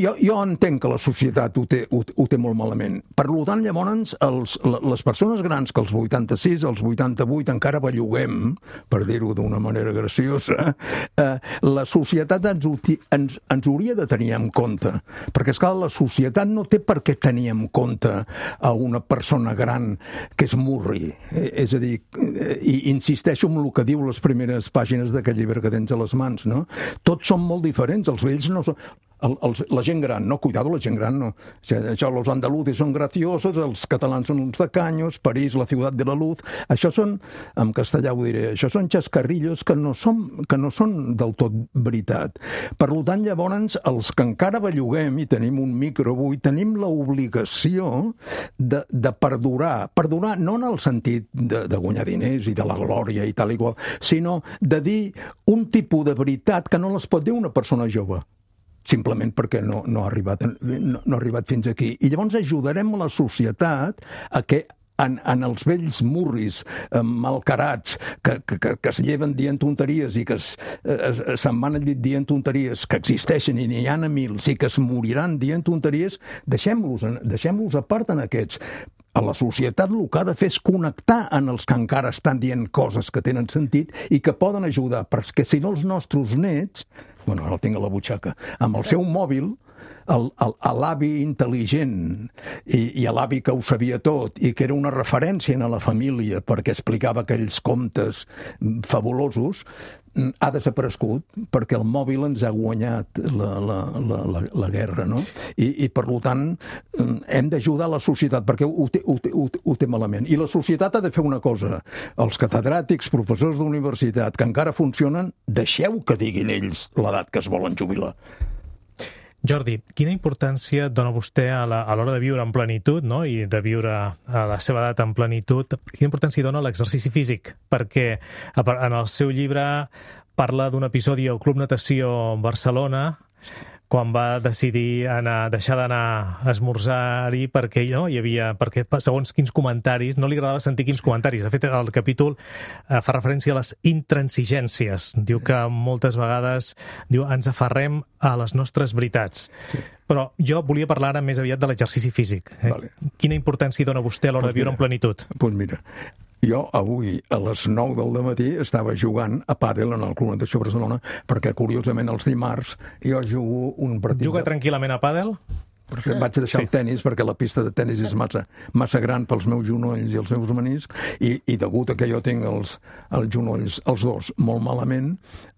jo, jo entenc que la societat ho té, ho, ho té molt malament. Per tant, llavors, els, les persones grans que als vuitanta-sis, als vuitanta-vuit encara belluguem, per dir-ho d'una manera graciosa, eh, la societat ens, ens, ens hauria de tenir en compte, perquè, esclar, la societat no té per què tenir en compte a una persona gran que es murri. Eh, és a dir, eh, i insisteixo en el que diu les primeres pàgines d'aquest llibre que tens a les mans, no? Tots són molt diferents, els vells no són... El, el, la gent gran, no, cuidado, la gent gran no. Això, los andaluces són graciosos, els catalans són uns tacaños, París, la ciutat de la luz, això són, en castellà ho diré, això són xascarrillos que no són, que no són del tot veritat. Per tant, llavors, els que encara belluguem i tenim un micro avui, tenim l'obligació de, de perdurar, perdurar no en el sentit de, de guanyar diners i de la glòria i tal i qual, sinó de dir un tipus de veritat que no les pot dir una persona jove, simplement perquè no, no, ha arribat, no, no ha arribat fins aquí. I llavors ajudarem la societat a que en, en els vells murris eh, malcarats que, que, que es lleven dient tonteries i que es, es, se'n van al llit dient tonteries, que existeixen i n'hi ha a mils i que es moriran dient tonteries, deixem-los deixem-los a part en aquests. A la societat el que ha de fer és connectar en els que encara estan dient coses que tenen sentit i que poden ajudar, perquè si no els nostres nets, bueno, ara el tinc a la butxaca, amb el seu mòbil, el, el, l'avi intel·ligent i, i l'avi que ho sabia tot i que era una referència a la família perquè explicava aquells contes fabulosos, ha desaparegut perquè el mòbil ens ha guanyat la, la, la, la, la guerra, no? I, i per tant hem d'ajudar la societat perquè ho té, ho, té, ho, té, ho té malament. I la societat ha de fer una cosa. Els catedràtics, professors d'universitat que encara funcionen, deixeu que diguin ells l'edat que es volen jubilar. Jordi, quina importància dona vostè a l'hora de viure en plenitud, no? I de viure a la seva edat en plenitud, quina importància dona l'exercici físic? Perquè en el seu llibre parla d'un episodi al Club Natació Barcelona, quan va decidir anar, deixar d'anar a esmorzar-hi perquè, no, hi havia, perquè segons quins comentaris, no li agradava sentir quins comentaris. De fet, el capítol eh, fa referència a les intransigències. Diu que moltes vegades diu, ens aferrem a les nostres veritats. Sí. Però jo volia parlar ara més aviat de l'exercici físic. Eh? Vale. Quina importància dona vostè a l'hora pues de viure mira, en plenitud? Doncs pues mira, jo avui a les nou del dematí estava jugant a pàdel en el Club Natació Barcelona perquè, curiosament, els dimarts jo jugo un partit... Juga de... tranquil·lament a pàdel? Perquè vaig deixar sí. el tennis perquè la pista de tennis és massa, massa gran pels meus genolls i els meus meniscs i, i degut a que jo tinc els, els genolls, els dos, molt malament,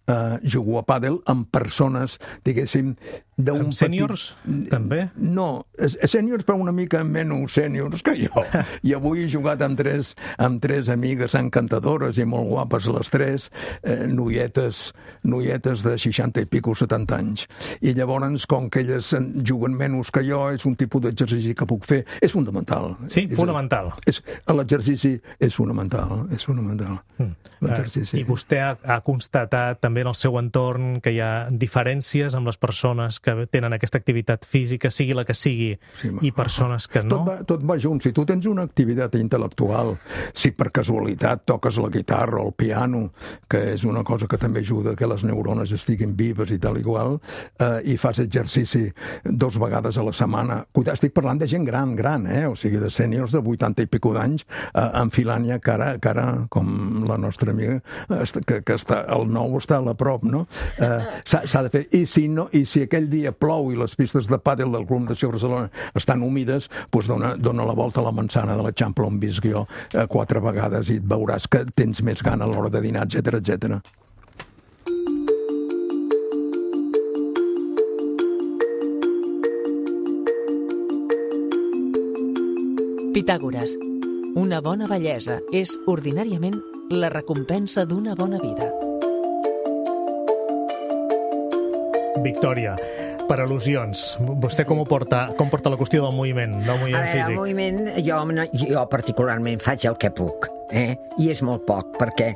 eh, jugo a pàdel amb persones, diguéssim, d'un petit... Sèniors, també? No, sèniors però una mica menys sèniors que jo. I avui he jugat amb tres, amb tres amigues encantadores i molt guapes les tres, eh, noietes, noietes de seixanta i pico, setanta anys. I llavors, com que elles juguen menys que jo, és un tipus d'exercici que puc fer. És fundamental. Sí, és, fonamental. És, l'exercici és fonamental, és fonamental. Mm. L'exercici. I vostè ha, ha constatat també en el seu entorn que hi ha diferències amb les persones que que tenen aquesta activitat física, sigui la que sigui, sí, i persones que no? Tot va, tot va junt. Si tu tens una activitat intel·lectual, si per casualitat toques la guitarra o el piano, que és una cosa que també ajuda que les neurones estiguin vives i tal i qual, eh, i fas exercici dos vegades a la setmana. Cuidado, estic parlant de gent gran, gran, eh? O sigui, de sèniors de vuitanta i pico d'anys, eh, enfilant ja cara a cara, com la nostra amiga, que, que està, el nou està a la prop, no? Eh, s'ha de fer. I si, no, i si aquell dia plou i les pistes de pàdel del Club Natació Barcelona estan húmides, doncs dona, dona la volta a la manzana de l'Eixample on visc jo eh, quatre vegades i et veuràs que tens més gana a l'hora de dinar, etcètera, etcètera. Pitàgores. Una bona bellesa és ordinàriament la recompensa d'una bona vida. Victòria, per al·lusions, vostè com ho porta, com porta la qüestió del moviment, del moviment a veure, físic? El moviment, jo, jo particularment faig el que puc. eh? I és molt poc, perquè,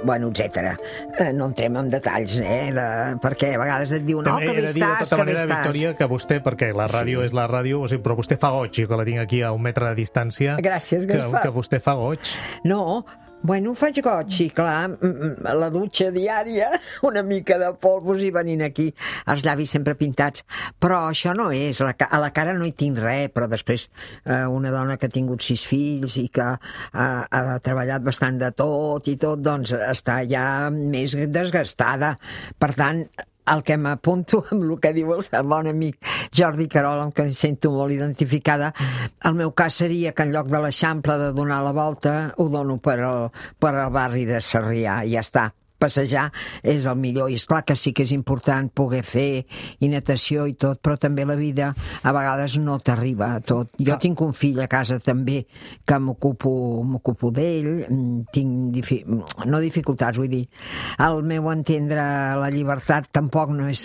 bueno, etcètera. Eh, no entrem en detalls, eh? De, perquè a vegades et diuen, oh, que bé estàs, que bé estàs. De tota manera, Victòria, que vostè, perquè la ràdio sí. és la ràdio, o sigui, però vostè fa goig, jo que la tinc aquí a un metre de distància. Gràcies, Gaspar. Que, que vostè fa goig. No, bueno, faig goig, sí, clar, la dutxa diària, una mica de polvos i venint aquí, els llavis sempre pintats, però això no és, a la cara no hi tinc res, però després eh, una dona que ha tingut sis fills i que eh, ha treballat bastant de tot i tot, doncs està ja més desgastada, per tant, el que m'apunto amb el que diu el bon amic Jordi Querol, amb què em sento molt identificada, el meu cas seria que en lloc de l'Eixample de donar la volta, ho dono per al, per al barri de Sarrià, i ja està. Passejar és el millor, i esclar que sí que és important poder fer i natació i tot, però també la vida a vegades no t'arriba a tot. Jo ah. tinc un fill a casa també que m'ocupo m'ocupo d'ell, tinc difi... no dificultats, vull dir, al meu entendre la llibertat tampoc no és...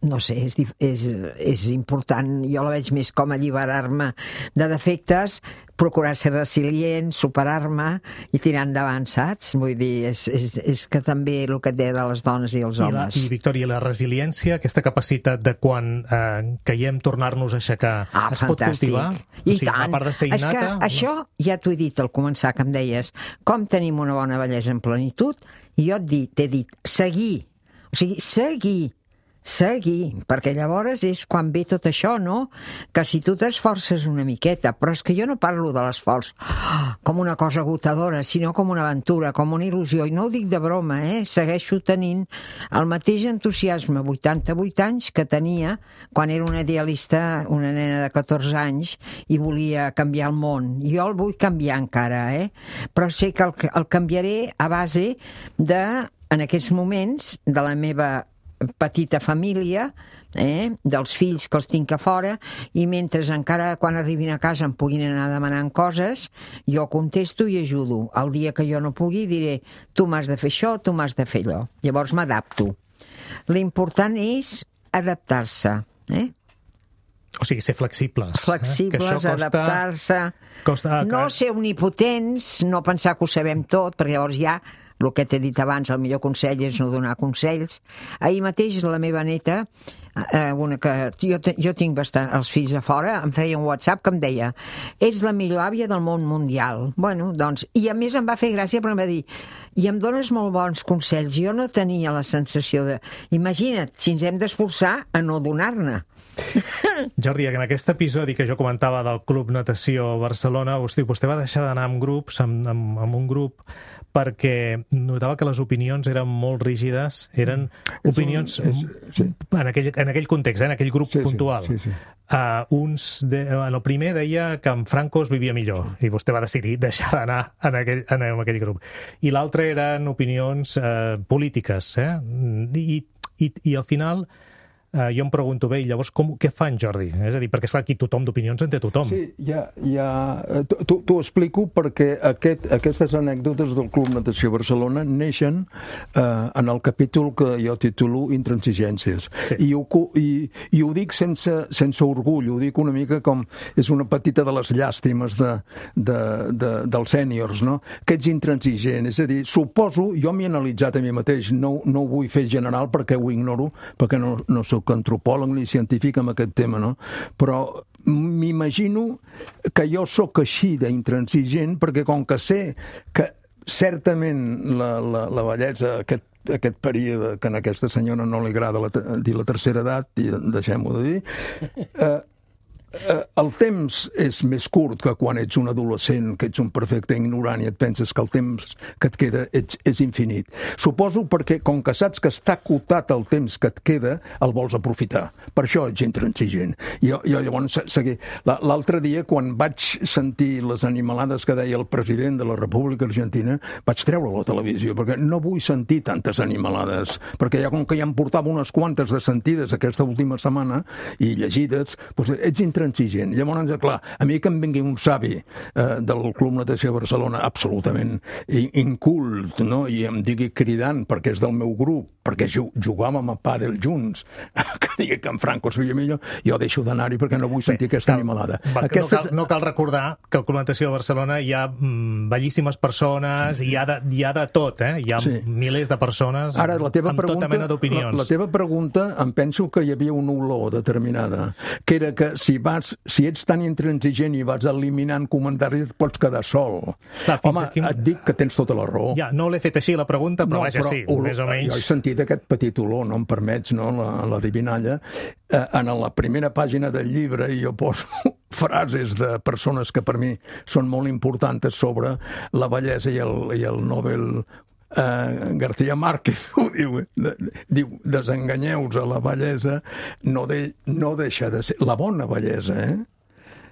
no sé, és, és, és important, jo la veig més com alliberar-me de defectes, procurar ser resilient, superar-me i tirar endavant, saps? Vull dir, és, és, és que també el que té de les dones i els I homes. La, I, Victòria, la resiliència, aquesta capacitat de quan eh, caiem tornar-nos a aixecar, ah, es fantàstic. pot cultivar? I o sigui, tant. A part de ser innata... És que no? això ja t'ho he dit al començar, que em deies, com tenim una bona bellesa en plenitud, i jo t'he dit, seguir, o sigui, seguir, seguir, perquè llavors és quan ve tot això, no? Que si tu t'esforces una miqueta, però és que jo no parlo de l'esforç com una cosa agotadora, sinó com una aventura, com una il·lusió, i no ho dic de broma, eh? Segueixo tenint el mateix entusiasme, vuitanta-vuit anys, que tenia quan era una idealista, una nena de catorze anys, i volia canviar el món. Jo el vull canviar encara, eh? Però sé que el, el canviaré a base de, en aquests moments, de la meva petita família, eh, dels fills que els tinc a fora, i mentre encara quan arribin a casa em puguin anar demanant coses, jo contesto i ajudo. El dia que jo no pugui diré, tu m'has de fer això, tu m'has de fer allò. Llavors m'adapto. L'important és adaptar-se, eh? O sigui, ser flexibles. Flexibles, eh? costa... adaptar-se, costa... no ser omnipotents, no pensar que ho sabem tot, perquè llavors ja el que t'he dit abans, el millor consell és no donar consells. Ahir mateix la meva neta, eh, una que jo, jo tinc bastant els fills a fora, em feia un WhatsApp que em deia, ets la millor àvia del món mundial. Bueno, doncs, i a més em va fer gràcia perquè em va dir, i em dones molt bons consells. Jo no tenia la sensació de... Imagina't, si ens hem d'esforçar a no donar-ne. Jordi, en aquest episodi que jo comentava del Club Natació Barcelona, hosti, vostè va deixar d'anar amb grups, amb, amb, amb un grup, perquè notava que les opinions eren molt rígides, eren és opinions un, és, sí. en, aquell, en aquell context, eh, en aquell grup sí, puntual. Sí, sí, sí. Uh, uns de, el primer deia que en Franco es vivia millor, sí. i vostè va decidir deixar d'anar en, aquell, en, en aquell grup. I l'altre eren opinions uh, polítiques, eh? I, i, i al final... Uh, jo em pregunto, bé, i llavors com, què fa en Jordi? És a dir, perquè és clar, aquí tothom d'opinions en té tothom. Sí, ja, ja t'ho explico perquè aquest, aquestes anècdotes del Club Natació Barcelona neixen eh, en el capítol que jo titulo Intransigències. Sí. I, ho, i, I ho dic sense, sense orgull, ho dic una mica com és una petita de les llàstimes de, de, de, dels sèniors, no? Que ets intransigent, és a dir, suposo, jo m'he analitzat a mi mateix, no, no ho vull fer general perquè ho ignoro, perquè no, no soc antropòleg ni científic amb aquest tema, no? Però m'imagino que jo sóc així d'intransigent perquè com que sé que certament la, la, la bellesa, aquest, aquest període que a aquesta senyora no li agrada la, dir la tercera edat, i deixem-ho de dir, eh, eh, el temps és més curt que quan ets un adolescent, que ets un perfecte ignorant i et penses que el temps que et queda ets, és infinit. Suposo perquè, com que saps que està acotat el temps que et queda, el vols aprofitar. Per això ets intransigent. Jo, jo llavors, seguir. L'altre dia, quan vaig sentir les animalades que deia el president de la República Argentina, vaig treure la televisió, perquè no vull sentir tantes animalades, perquè ja com que ja em portava unes quantes de sentides aquesta última setmana i llegides, doncs ets intransigent intransigent. Llavors, clar, a mi que em vingui un savi eh, del Club Natació Barcelona absolutament incult, no? I em digui cridant perquè és del meu grup, perquè jugàvem a pàdel junts, que digui que en Franco es veia millor, jo deixo d'anar-hi perquè no vull sentir Bé, aquesta cal, animalada. Va, Aquestes... no, cal, no cal recordar que al Club Natació de Barcelona hi ha mm, bellíssimes persones, hi ha de, hi ha de tot, eh? Hi ha sí. milers de persones Ara, la teva amb pregunta, tota mena d'opinions. La, la teva pregunta, em penso que hi havia una olor determinada, que era que si vas, si ets tan intransigent i vas eliminant comentaris, et pots quedar sol. Clar, Home, aquí... et dic que tens tota la raó. Ja, no l'he fet així la pregunta, però no, vaja, però sí, olor, més o menys. Jo he sentit aquest petit olor, no em permets, no, la, la divinalla. Eh, en la primera pàgina del llibre jo poso frases de persones que per mi són molt importants sobre la bellesa i el, i el Nobel Uh, García Márquez ho diu, de, diu desenganyeu-vos a la bellesa, no, de, no deixa de ser la bona bellesa, eh?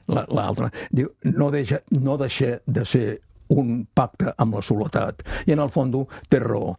L'altra diu, no deixa, no deixa de ser un pacte amb la soledat. I en el fons té raó.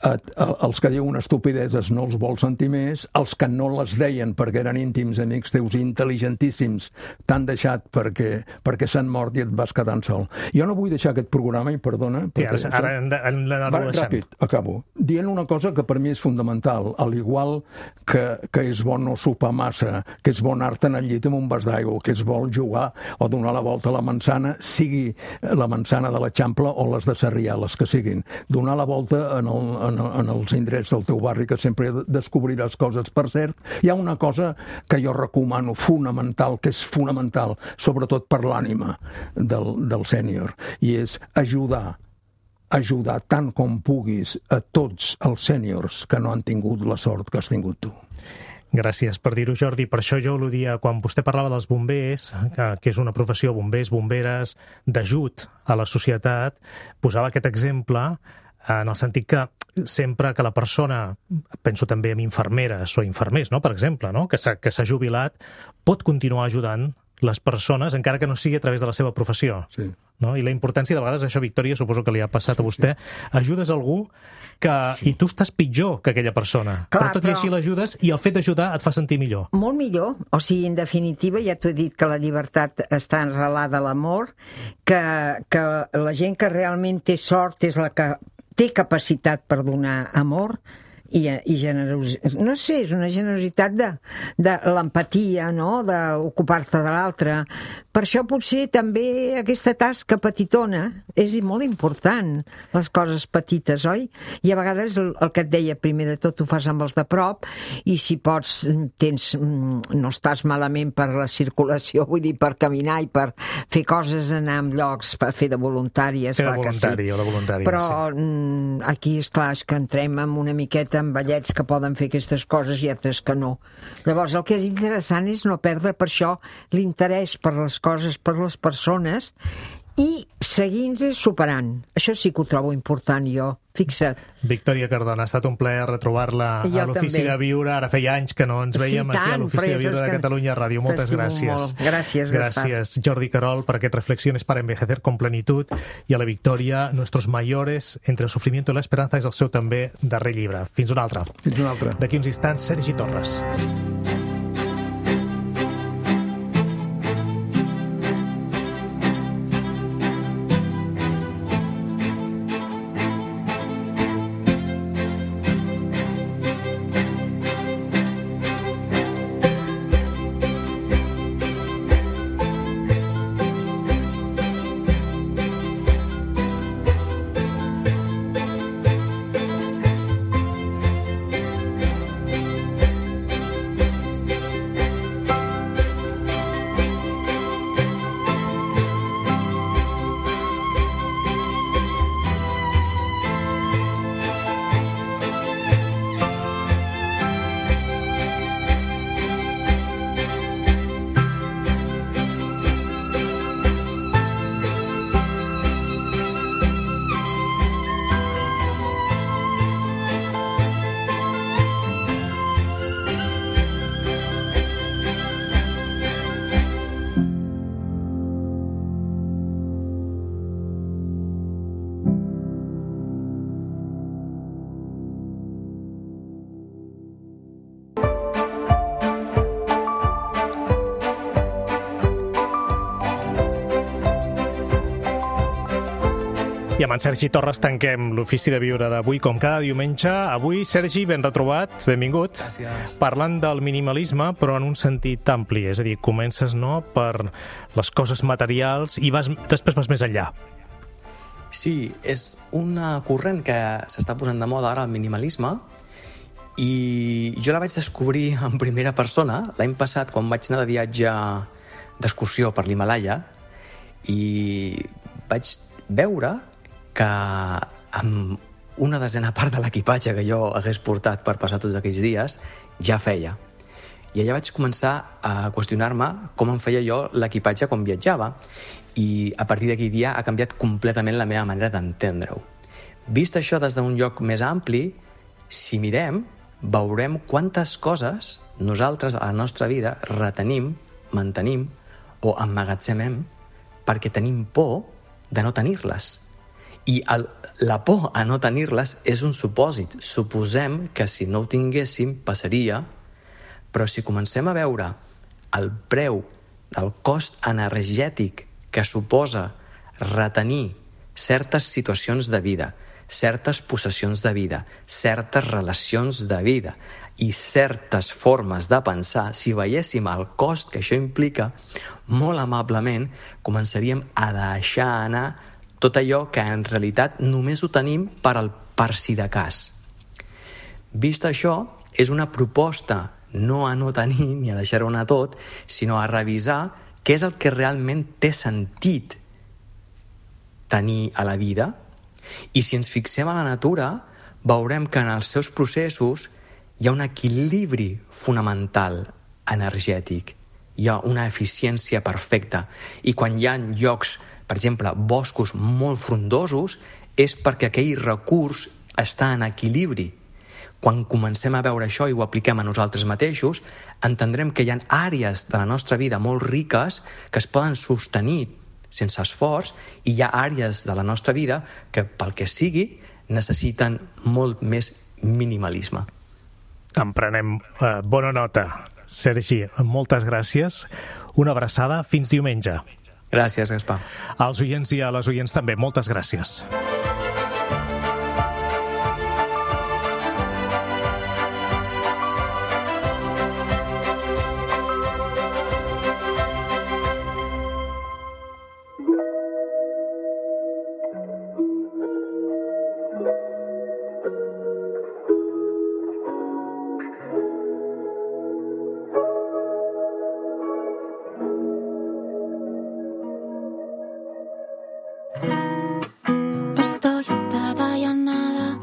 Els que diuen estupideses no els vol sentir més, els que no les deien perquè eren íntims amics teus intel·ligentíssims t'han deixat perquè, perquè s'han mort i et vas quedant sol. Jo no vull deixar aquest programa, i perdona... Sí, ara, ara hem d'anar-lo deixant. Ràpid, acabo. Dient una cosa que per mi és fundamental, al igual que, que és bo no sopar massa, que és bo anar-te'n al llit amb un vas d'aigua, que és bo jugar o donar la volta a la manzana, sigui la manzana de l'Eixample o les de Sarrià, les que siguin. Donar la volta en, el, en, en els indrets del teu barri, que sempre descobriràs coses. Per cert, hi ha una cosa que jo recomano, fonamental, que és fonamental, sobretot per l'ànima del, del sènior, i és ajudar ajudar tant com puguis a tots els sèniors que no han tingut la sort que has tingut tu. Gràcies per dir-ho, Jordi. Per això jo al·ludia, quan vostè parlava dels bombers, que, que és una professió, bombers, bomberes, d'ajut a la societat, posava aquest exemple en el sentit que sempre que la persona, penso també en infermeres o infermers, no?, per exemple, no?, que s'ha jubilat, pot continuar ajudant les persones, encara que no sigui a través de la seva professió. Sí. No? I la importància, de vegades, això, Victòria, suposo que li ha passat a vostè, ajudes algú que, i tu estàs pitjor que aquella persona, Clar, però tot però... i així l'ajudes i el fet d'ajudar et fa sentir millor. Molt millor, o sigui, en definitiva, ja t'ho he dit que la llibertat està enrelada a l'amor, que, que la gent que realment té sort és la que té capacitat per donar amor, i, i generositat, no sé, és una generositat de, de l'empatia, no?, d'ocupar-te de l'altre. Per això potser també aquesta tasca petitona és molt important, les coses petites, oi? I a vegades el, el que et deia, primer de tot ho fas amb els de prop, i si pots, tens, no estàs malament per la circulació, vull dir, per caminar i per fer coses, anar en llocs, per fer de voluntària, fer de voluntari, sí. o de voluntària, però sí. Aquí, esclar, és que entrem en una miqueta amb vellets que poden fer aquestes coses i altres que no. Llavors, el que és interessant és no perdre per això l'interès per les coses, per les persones, i seguint-se superant. Això sí que ho trobo important, jo. Fixa't. Victòria Cardona, ha estat un plaer retrobar-la a l'Ofici de Viure. Ara feia anys que no ens veiem sí, aquí a l'Ofici de Viure de Catalunya Ràdio. Moltes gràcies. Molt. Gràcies, Gràcies, Jordi Querol, per aquest Reflexiones para envejecer con plenitud. I a la Victòria, Nuestros mayores, entre el sufrimiento y la esperanza, és el seu també darrer llibre. Fins una altra. Fins una altra. D'aquí uns instants, Sergi Torres. I amb en Sergi Torres tanquem l'ofici de viure d'avui, com cada diumenge. Avui, Sergi, ben retrobat, benvingut. Gràcies. Parlant del minimalisme, però en un sentit ampli, és a dir, comences no, per les coses materials i vas, després vas més enllà. Sí, és una corrent que s'està posant de moda ara, el minimalisme, i jo la vaig descobrir en primera persona l'any passat, quan vaig anar de viatge d'excursió per l'Himalaya, i vaig veure que amb una desena part de l'equipatge que jo hagués portat per passar tots aquells dies ja feia. I allà vaig començar a qüestionar-me com em feia jo l'equipatge quan viatjava, i a partir d'aquell dia ha canviat completament la meva manera d'entendre-ho. Vist això des d'un lloc més ampli, si mirem, veurem quantes coses nosaltres a la nostra vida retenim, mantenim o emmagatzemem perquè tenim por de no tenir-les. I el, la por a no tenir-les és un supòsit. Suposem que si no ho tinguéssim passaria, però si comencem a veure el preu del cost energètic que suposa retenir certes situacions de vida, certes possessions de vida, certes relacions de vida i certes formes de pensar, si veiéssim el cost que això implica, molt amablement començaríem a deixar anar tot allò que en realitat només ho tenim per al per si de cas. Vist això, és una proposta no a no tenir ni a deixar-ho anar tot, sinó a revisar què és el que realment té sentit tenir a la vida. I si ens fixem a la natura, veurem que en els seus processos hi ha un equilibri fonamental energètic. Hi ha una eficiència perfecta. I quan hi ha llocs, per exemple, boscos molt frondosos, és perquè aquell recurs està en equilibri. Quan comencem a veure això i ho apliquem a nosaltres mateixos, entendrem que hi ha àrees de la nostra vida molt riques que es poden sostenir sense esforç, i hi ha àrees de la nostra vida que, pel que sigui, necessiten molt més minimalisme. En prenem eh, bona nota. Sergi, moltes gràcies. Una abraçada. Fins diumenge. Gràcies, Gaspar. Als oients i a les oients també, moltes gràcies. Estoy atada y a nada,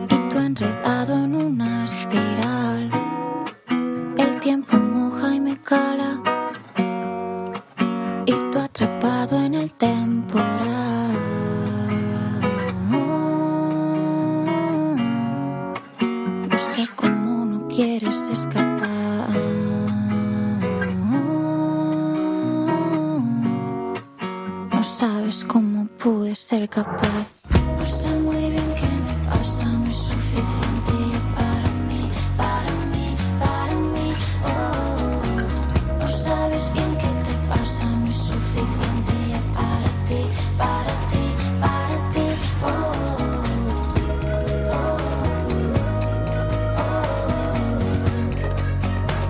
y tú enredado en una espiral. El tiempo moja y me cala, y tú atrapado en el temporal. No sé cómo no quieres escapar. No sabes cómo pude ser capaz. No sé muy bien qué me pasa, no es suficiente ya para mí, para mí, para mí. Oh, no sabes bien qué te pasa, no es suficiente ya para ti, para ti, para ti. Oh, oh, oh.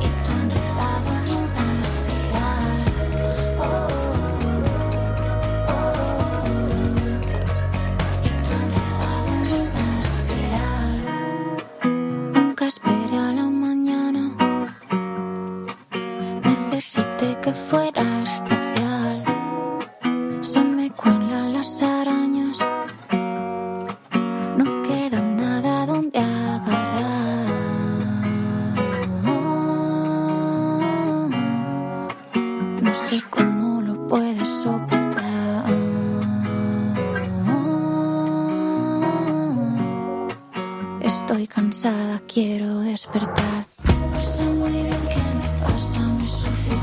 Y tú enredado en una espiral. Oh. Esperé a la mañana, necesité que fuera especial. Se me cuelan las arañas, no queda nada donde agarrar. No sé cómo lo puedes soportar. Estoy cansada, quiero despertar. No sé muy bien qué me pasa, no es suficiente.